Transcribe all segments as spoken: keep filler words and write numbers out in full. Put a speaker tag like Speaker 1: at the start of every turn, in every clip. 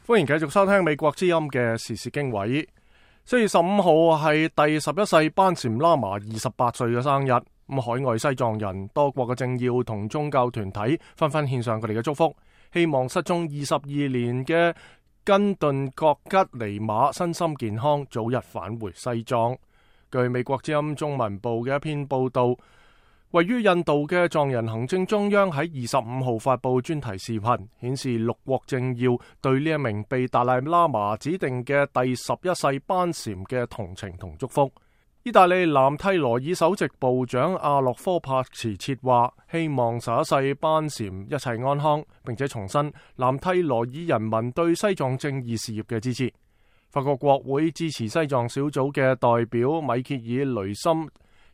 Speaker 1: 歡迎繼續收聽美國之音嘅時事經緯。四月十五號係第十一世班禪喇嘛二十八歲嘅生日。咁海外西藏人、多國嘅政要同宗教團體紛紛獻上佢哋嘅祝福，希望失蹤二十二年嘅根頓覺吉尼瑪身心健康，早日返回西藏。據美國之音中文部嘅一篇報道，位於印度嘅藏人行政中央喺二十五號發布專題視頻，顯示六國政要對呢一名被達賴喇嘛指定嘅第十一世班禪嘅同情同祝福。意大利南蒂羅爾首席部長阿洛科帕茨切話，希望十一世班禪一切安康，並且重申南蒂羅爾人民對西藏正義事業嘅支持。法國國會支持西藏小組嘅代表米歇爾雷森、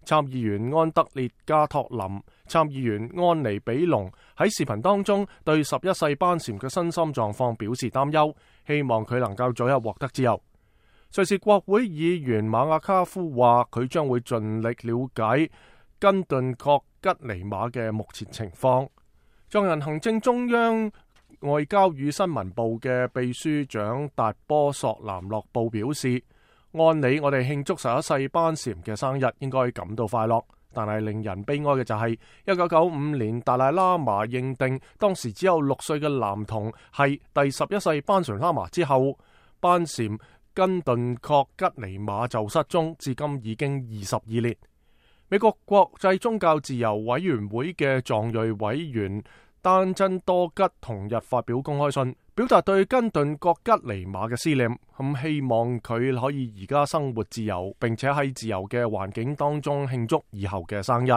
Speaker 1: 參議員安德烈加托林、參議員安妮比隆喺視頻當中對十一世班禪嘅身心狀況表示擔憂，希望佢能夠早日獲得自由。瑞士國會議員馬亞卡夫話，佢將會盡力了解根頓覺吉尼瑪嘅目前情況。藏人行政中央外交與新聞部嘅秘書長達波索南洛布表示，按理我哋慶祝十一世班禪嘅生日應該感到快樂，但係令人悲哀嘅就係一九九五年達賴喇嘛認定當時只有六歲嘅男童係第十一世班禪喇嘛之後，班禪根頓覺吉尼瑪就失蹤，至今已經二十二年。美國國際宗教自由委員會嘅藏裔委員丹真多吉同日發表公開信，表達對根頓覺吉尼瑪嘅思念，咁希望佢可以而家生活自由，並且喺自由嘅環境當中慶祝以後嘅生日。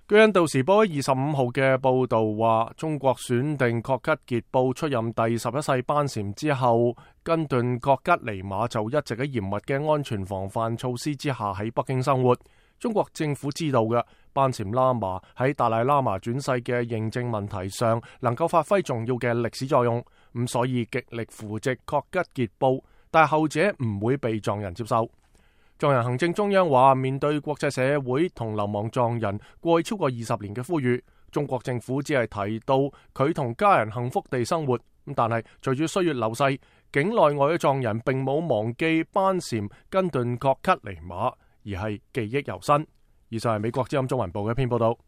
Speaker 1: 據印度時報喺二十五號嘅報道話，中國選定覺吉傑布出任第十一世班禪之後，根頓覺吉尼瑪就一直喺嚴密嘅安全防範措施之下喺北京生活。中國政府知道嘅班禪喇嘛喺達賴喇嘛轉世嘅認證問題上能夠發揮重要嘅歷史作用，咁所以極力扶植覺吉傑布，但係後者唔會被藏人接受。藏人行政中央話，面對國際社會同流亡藏人過去超過二十年嘅呼籲，中國政府只係提到佢同家人幸福地生活，咁但係隨住歲月流逝，境內外嘅藏人並冇忘記班禪根頓覺吉尼瑪，而係記憶猶新。以上係美國之音中文部嘅一篇報道。